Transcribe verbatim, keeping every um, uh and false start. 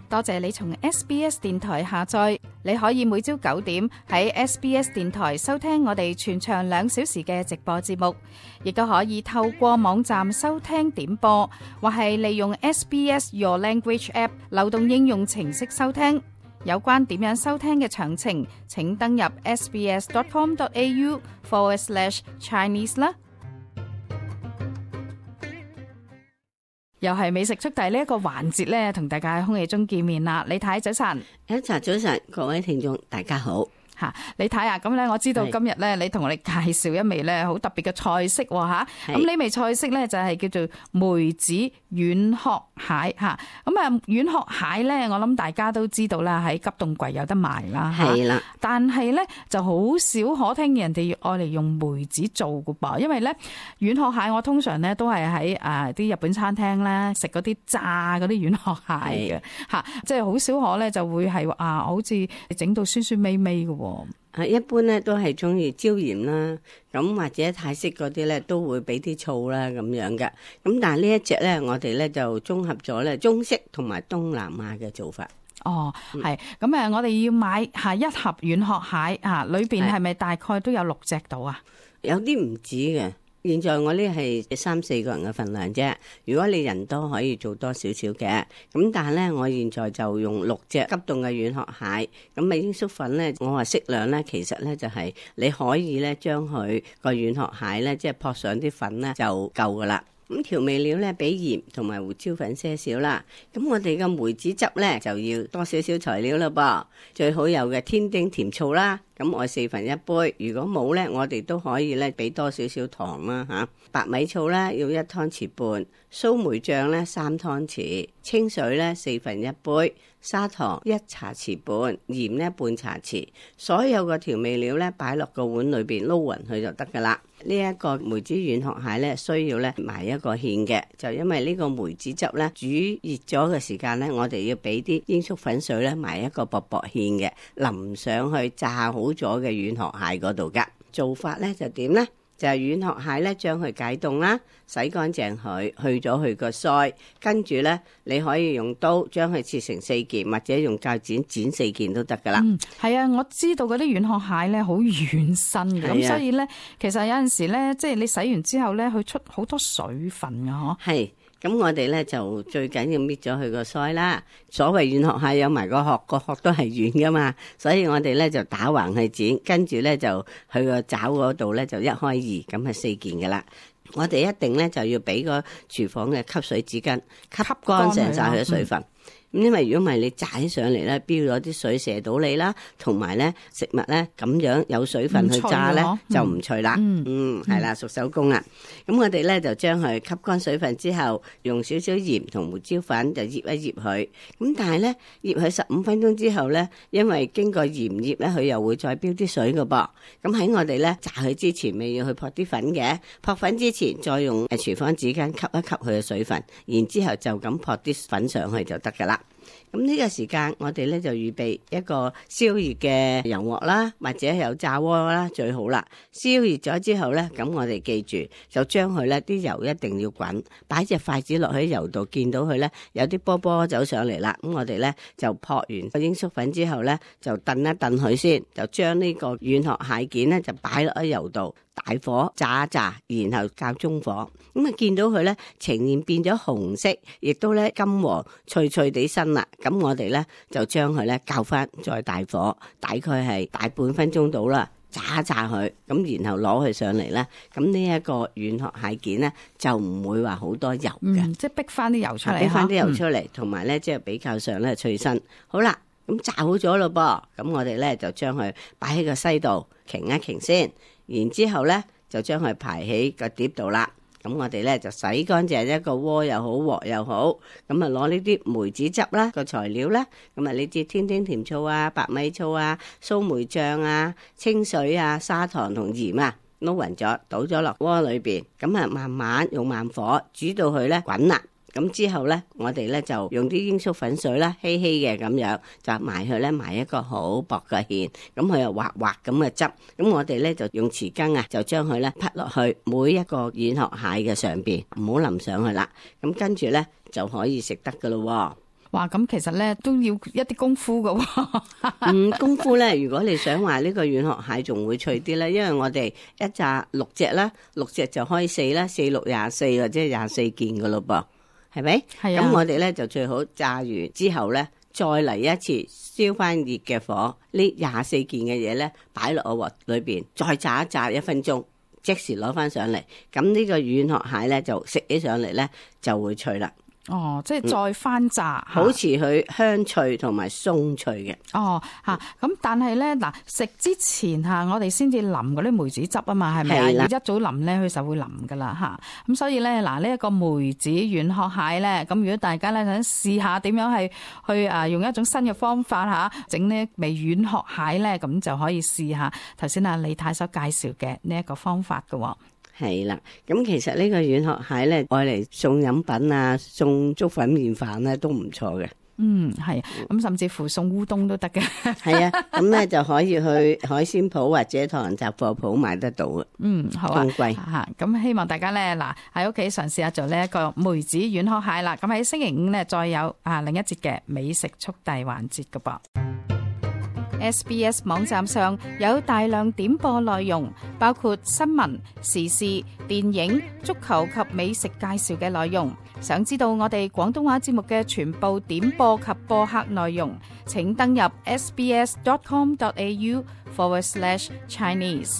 多謝你從 S B S 電台下載，你可以每朝九點喺 S B S 電台收聽我哋全長兩小時嘅直播節目，亦都可以透過網站收聽點播，或係利用 S B S Your Language App 流動應用程式收聽。有關點樣收聽嘅詳情，請登入 sbs.com.au forward slash Chinese 啦。又係美食速遞呢一個環節咧，同大家喺空氣中見面啦。李太早晨，一齊早晨，各位聽眾大家好。吓，李太啊，咁咧我知道今日咧，你同我哋介紹一味咧好特別嘅菜式吓。咁呢味菜式咧就係叫做梅子軟殼蟹吓。咁啊軟殼蟹咧，我諗大家都知道啦，喺急凍櫃有得賣啦。係啦，但係咧就好少可聽人哋愛嚟用梅子做㗎噃，因為咧軟殼蟹我通常咧都係喺誒啲日本餐廳咧食嗰啲炸嗰啲軟殼蟹嘅吓，即係好少可咧就會係啊好似整到酸酸味味嘅。啊，一般咧都係中意椒鹽啦，咁或者泰式嗰啲咧都會俾啲醋啦咁樣嘅。咁但係呢一隻咧，我哋咧就綜合咗咧中式同埋東南亞嘅做法。哦，係咁誒，我哋要買下一盒軟殼蟹啊，裏邊係咪大概都有六隻到啊？有啲唔止嘅。現在我呢係三四個人嘅份量啫，如果你人多可以做多少少嘅，咁但係咧我現在就用六隻急凍嘅軟殼蟹，咁咪鷹粟粉咧，我話適量咧，其實咧就係你可以咧將佢個軟殼蟹咧，即係撲上啲粉咧就夠噶啦。咁調味料咧，俾鹽同埋胡椒粉些少啦。咁我哋嘅梅子汁咧就要多少少材料啦噃，最好有嘅天丁甜醋啦。咁我四分一杯，如果冇咧，我哋都可以咧俾多少少糖啦吓。白米醋咧要一湯匙半，蘇梅醬咧三湯匙，清水咧四分一杯，砂糖一茶匙半，鹽咧半茶匙。所有嘅調味料咧擺落個碗裏邊撈勻佢就得噶啦。呢一個梅子軟殼蟹咧需要咧埋一個芡嘅，就因為呢個梅子汁咧煮熱咗嘅時間咧，我哋要俾啲鷹粟粉水咧埋一個薄薄芡嘅，淋上去炸好咗嘅軟殼蟹嗰度噶。做法咧就點咧？就係軟殼蟹咧，將佢解凍啦，洗乾淨佢，去咗佢個腮，跟住咧你可以用刀將佢切成四件，或者用鉸剪剪四件都得噶啦。嗯，係啊，我知道嗰啲軟殼蟹咧好軟身嘅，咁、啊、所以咧其實有陣時咧，即係你洗完之後咧，佢出好多水分㗎嗬。係。咁我哋咧就最緊要搣咗佢個腮啦。所謂軟殼蟹有埋個殼，個殼都係軟噶嘛，所以我哋咧就打橫去剪，跟住咧就去個爪嗰度咧就一開二，咁係四件噶啦。我哋一定咧就要俾個廚房嘅吸水紙巾吸乾淨晒佢嘅水分。咁因為如果唔係你炸起上嚟咧，飆咗啲水射到你啦，同埋咧食物咧咁樣有水分去炸咧就唔脆啦。嗯，嗯係啦，熟手工啦。咁我哋咧就將佢吸乾水分之後，用少少鹽同胡椒粉就醃一醃佢。咁但係咧醃佢十五分鐘之後咧，因為經過鹽醃咧，佢又會再飆啲水噶噃。咁喺我哋咧炸佢之前，咪要去撲啲粉嘅。撲粉之前再用誒廚房紙巾吸一吸佢嘅水分，然之後就咁撲啲粉上去就得噶啦。咁呢個時間我哋咧就預備一個燒熱嘅油鑊啦，或者有炸鍋啦最好啦。燒熱咗之後咧，咁我哋記住就將佢咧啲油一定要滾，擺隻筷子落喺油度，見到佢咧有啲波波走上嚟啦。咁我哋咧就撲完個鷹粟粉之後咧，就燉一燉佢先，就將呢個軟殼蟹件咧就擺落喺油度，大火炸一炸，然後較中火。咁啊見到佢咧呈現變咗紅色，亦都咧金黃脆脆地身啦。咁我哋咧就將佢咧較翻再大火，大概係大半分鐘到啦，炸一炸佢，咁然後攞佢上嚟咧，咁呢一個軟殼蟹件咧就唔會話好多油嘅、嗯，即係逼翻啲油出嚟，逼翻啲油出嚟，同埋咧即係比較上咧脆身。好啦，咁炸好咗咯噃，咁我哋咧就將佢擺喺個西度，擎一擎先，然之後咧就將佢排喺個碟度啦。咁我哋咧就洗乾淨一個鍋又好鑊又好，咁啊攞呢啲梅子汁啦個材料啦，咁啊呢啲天丁甜醋啊、白米醋啊、蘇梅醬啊、清水啊、砂糖同鹽啊撈勻咗，倒咗落鍋裏邊，咁啊慢慢用慢火煮到佢咧滾啦。咁之後咧，我哋咧就用啲鷹粟粉水啦，稀稀嘅咁樣，就埋去咧埋一個好薄嘅芡，咁佢又滑滑咁嘅汁，咁我哋咧就用匙羹啊，就將佢咧滗落去每一個軟殼蟹嘅上邊，唔好淋上去啦。咁跟住咧就可以食得噶咯。哇，咁其實咧都要一啲功夫噶喎。嗯，功夫咧，如果你想話呢個軟殼蟹仲會脆啲咧，因為我哋一炸六隻啦，六隻就開四啦，四六廿四或者廿四件噶咯噃，係咪？係啊。咁我哋咧就最好炸完之後咧，再嚟一次燒翻熱嘅火，呢廿四件嘅嘢咧擺落個鑊裏邊，再炸一炸一分鐘，即時攞翻上嚟。咁呢個軟殼蟹咧就食起上嚟咧就會脆啦。哦，即係再翻炸，嗯、好似佢香脆同埋鬆脆嘅。哦，吓咁，但係咧嗱，食之前吓，我哋先至淋嗰啲梅子汁啊嘛，係咪啊？一早淋咧，佢就會腍噶啦吓。咁所以咧，嗱呢一個梅子軟殼蟹咧，咁如果大家咧想試下點樣係去啊用一種新嘅方法吓整呢味軟殼蟹咧，咁就可以試下頭先阿李太所介紹嘅呢一個方法噶。係啦，咁其實呢個軟殼蟹咧，愛嚟送飲品啊，送粥粉麵飯咧都唔錯嘅。嗯，係，咁甚至乎送烏冬都得嘅。係啊，咁咧就可以去海鮮鋪或者唐人雜貨鋪買得到嘅。嗯，好啊。咁貴吓，咁希望大家咧嗱喺屋企嘗試下做呢一個梅子軟殼蟹啦。咁喺星期五咧再有啊另一節嘅美食速遞環節噶噃。S B S 網站上有大量點播內容，包括新聞、時事、電影、足球及美食介紹嘅內容。想知道我哋廣東話節目嘅全部點播及播客內容，請登入 sbs dot com dot a u forward slash Chinese。